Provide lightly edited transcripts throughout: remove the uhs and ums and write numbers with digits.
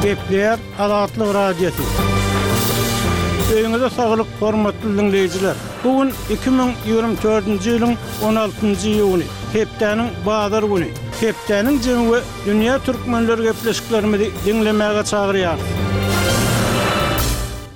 Gepleýär Azatlyk Radiosy. Öýüňize saglyk, hormatly diňleýjiler! Bu gün 2024-nji ýylyň 16-njy iýuny, hepdäniň bazar güni. Hepdäniň jemi we dünýä türkmenleri gepleşiklerimizi diňlemäge çagyrýarys.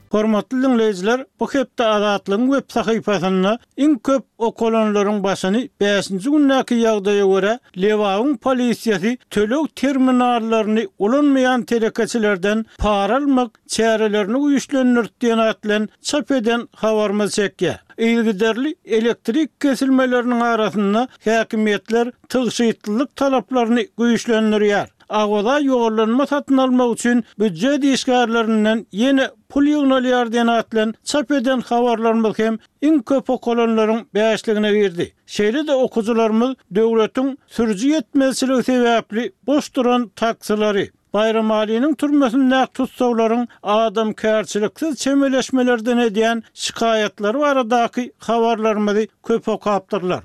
Hormatly diňleýjiler, bu hepde Azatlygyň web sahypasynda Iň köp okalanlaryň başyny bäşinji gündäki ýagdaýa görä, Lebabyň polisiýasy töleg terminallaryny ulanmaýan telekeçilerden para almak çärelerini güýçlendirdi diýen at bilen çap eden habarymyz çekýär. Yzygiderli elektrik kesilmeleriniň arasynda häkimiýetler tygşytlylyk talaplaryny güýçlendirýär. Awaza ýollanma satyn almak üçin býujet işgärlerinden ýene pul ýygnalýar diýen at bilen çap eden habarlarymyz hem iň köp okalanlaryň bäşligine girdi. Şeýle-de okyjylarymyz döwletiň sürüji ýetmezçiligi sebäpli boş duran taksilary, Baýramalynyň türmesindäki tussaglaryň adamkärçiliksiz çemeleşmelerden edýän şikaýatlary baradaky habarlarymyzy köp okapdyrlar.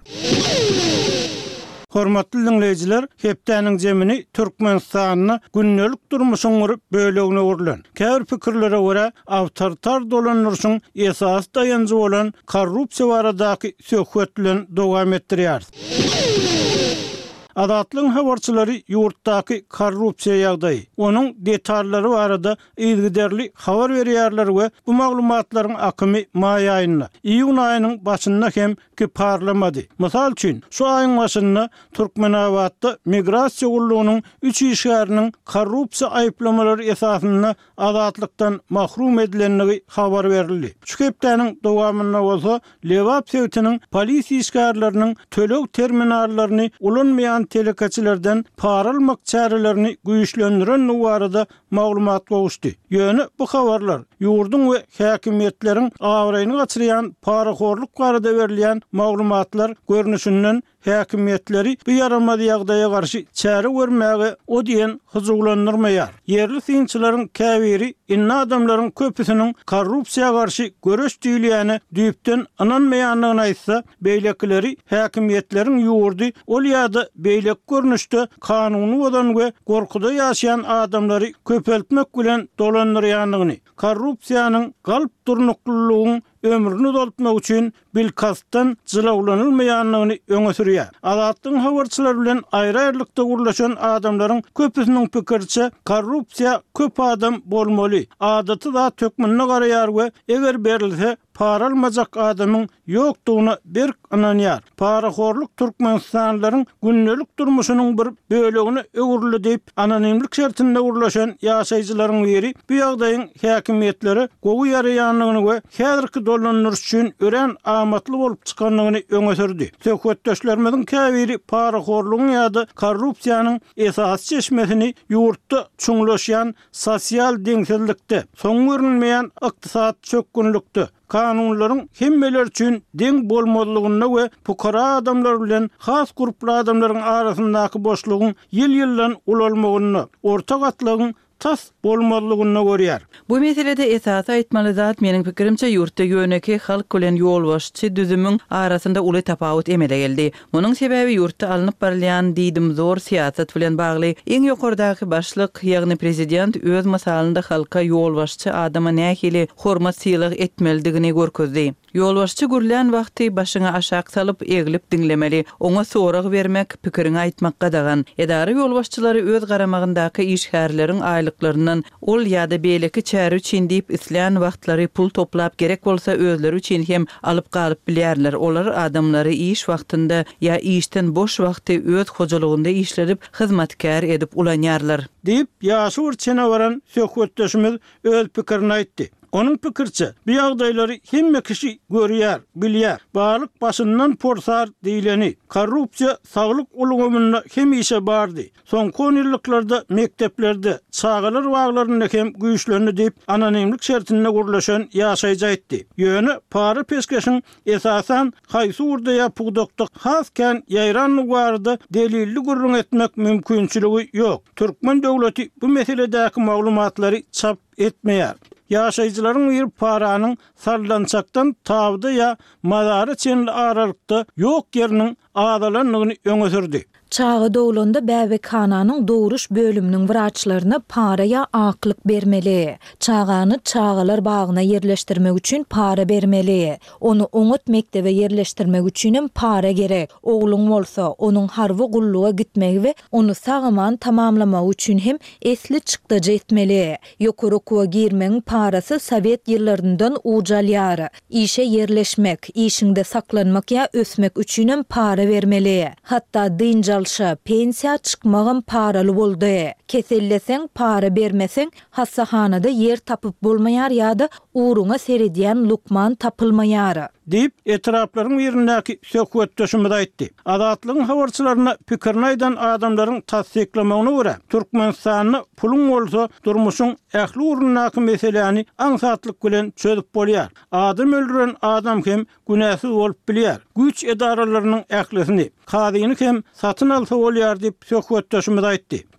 Hormatly diňleýjiler, hepdäniň jemini Türkmenistanda gündelik durmuşyň bir bölegine öwrülen, käbir pikirlere görä, awtoritar dolandyryşyň esasy daýanjy bolan korrupsiýa baradaky söhbet bilen dowam etdirýäris. Azatlygyň habarçylary ýurtdaky korrupsiýa ýagdaýy, onuň detallary barada yzygiderli habar berýärler we bu maglumatlaryň akymy maý aýynda, iýun aýynyň başynda hem kiparlamady. Mysal üçin, şu aýyň başynda Türkmenabatda migrasiýa gullugynyň üç işgäriniň korrupsiýa aýyplamalary esasynda azatlykdan mahrum edilendigi habar berildi. Şu hepdäniň dowamynda bolsa Lebap sebitiniň polisiýa işgärleriniň töleg terminallaryny ulanmaýan telekeçilerden para almak çärelerini güýçlendirendigi barada maglumat gowuşdy. Ýöne bu habarlar ýurduň we häkimiýetleriň abraýyny gaçyrýan parahorluk barada berilýän maglumatlar görnüşinden häkimiýetleri bu ýaramaz ýagdaýa garşy çäre görmäge o diýen hyjuwlandyrmaýar. Ýerli synçylaryň käbiri indi adamlaryň köpüsiniň korrupsiýa garşy göreş diýilýäne düýpden ynanmaýandygyny aýtsa, beýlekileri häkimiýetleriň ýurdy ol ýa-da beýleki görnüşde kanuny bozan we gorkuda ýaşaýan adamlary köpeltmek bilen dolandyrýandygyny, korrupsiýanyň galp durnuklylygyň ömrüni uzaltmak üçin bilkastdan jylawlanylmaýandygyny öňe sürýär. Azatlygyň habarçylary bilen aýry-aýrylykda gürleşen adamlaryň köpüsiniň pikiriçe, korrupsiýa köp adam bolmaly, adaty zat hökmünde garaýar we eger berilse, para almajak adamyň ýokdugyna berk ynanýar. Parahorluk türkmenistanlylaryň gündelik durmuşynyň bir bölegine öwrüldi diýip, anonimlik şertinde gürleşen ýaşaýjylaryň biri bu ýagdaýyň häkimiýetlere gowy ýaraýandygyny we häzirki dolandyryş üçin örän amatly bolup çykandygyny öňe sürdi. Söhbetdeşlerimiziň käbiri parahorlugyň ýa-da korrupsiýanyň esasy çeşmesini ýurtda çuňlaşýan sosial deňsizlikde, soňy görünmeýän ykdysady çökgünlikde, kanunlaryň hemmeler üçin deň bolmazlygynda we pukara adamlar bilen has gurply adamlaryň arasyndaky boşlugyň ýyl-ýyldan ulalmagynda, orta gatlagyň tas bolmazlygynda görýär. Bu meselede esasy aýtmaly zat, meniň pikirimçe, ýurtda ýönekeý halk bilen ýolbaşçy düzümiň arasynda uly tapawut emele geldi. Munuň sebäbi ýurtda alnyp barylýan diýdimzor syýasat bilen bagly. Iň ýokardaky başlyk, ýagny prezident öz mysalynda halka ýolbaşçy adama nähili hormat-sylag etmelidigini görkezdi. Ýolbaşçy gürlän wagty başyňy aşak salyp, eglip diňlemeli. Oňa sorag bermek, pikiriňi aýtmak gadagan. Edara ýolbaşçylary öz garamagyndaky işgärleriň aýlyklaryndan Ol ýa-da beýleki çäre üçin diýip islän wagtlary pul toplap gerek bolsa özleri üçin hem alyp galyp bilýärler. Olar adamlary iş wagtynda ýa işden boş wagty öz hojalygynda işledip hyzmatkär edip ulanýarlar. Diýip, ýaşy bir çene baran söhbetdeşimiz öz pikirini aýtdy. Onuň pikiriçe, bu ýagdaýlary hemme kişi görýär, bilýär. Balyk başyndan porsar diýleni. Korrupsiýa saglyk ulgamynda hemişe bardy. Soňky onýyllyklarda mekdeplerde, çagalar baglarynda hem güýçlendi diýip, anonimlik şertinde gürleşen ýaşaýjy aýtdy. Ýöne para-peşgeşiň esasan haýsy ugurda ýa pudakda has kän ýaýrandygy barada delilli gürrüň etmek mümkinçiligi ýok. Türkmen döwleti bu meseledäki maglumatlary çap etmeýär. Ýaşaýjylaryň biri paranyň sallançakdan tabyda ýa mazara çenli aralykda ýok ýeriniň azalandygyny öňe sürdi. Çaga doglanda bäbekhananyň dogruş bölüminiň wraçlaryna para ýa aklyk bermeli. Çagany çagalar bagyna ýerleşdirmek üçin para bermeli. Ony oňat mekdebe ýerleşdirmek üçinem para gerek. Ogluň bolsa, onuň harby gulluga gitmegi we ony sag-aman tamamlamagy üçin hem esli çykdajy etmeli. Ýokary okuwa girmegiň parasy sowet ýyllaryndan uj alýar. Işe ýerleşmek, işiňde saklanmak ýa ösmek üçinem para bermeli. Hatda dynç alşa, pensiýa çykmagam paraly boldy. Keselleseň, para bermeseň, hassahanada ýer tapyp bolmaýar ýa-da ugruňa seredýän lukman tapylmaýar. Diýip, etraplaryň birindäki söhbetdeşimiz aýtdy. Azatlygyň habarçylaryna pikirini aýdan adamlaryň tassyklamagyna görä, Türkmenistanda puluň bolsa durmuşyň ähli ugrundaky meseläni aňsatlyk bilen çözüp bolýar. Adam öldüren adam hem günäsiz bolup bilýär. Güýç edaralarynyň ählisini, kazyny hem satyn alsa bolýar diýip, söhbetdeşimiz aýtdy.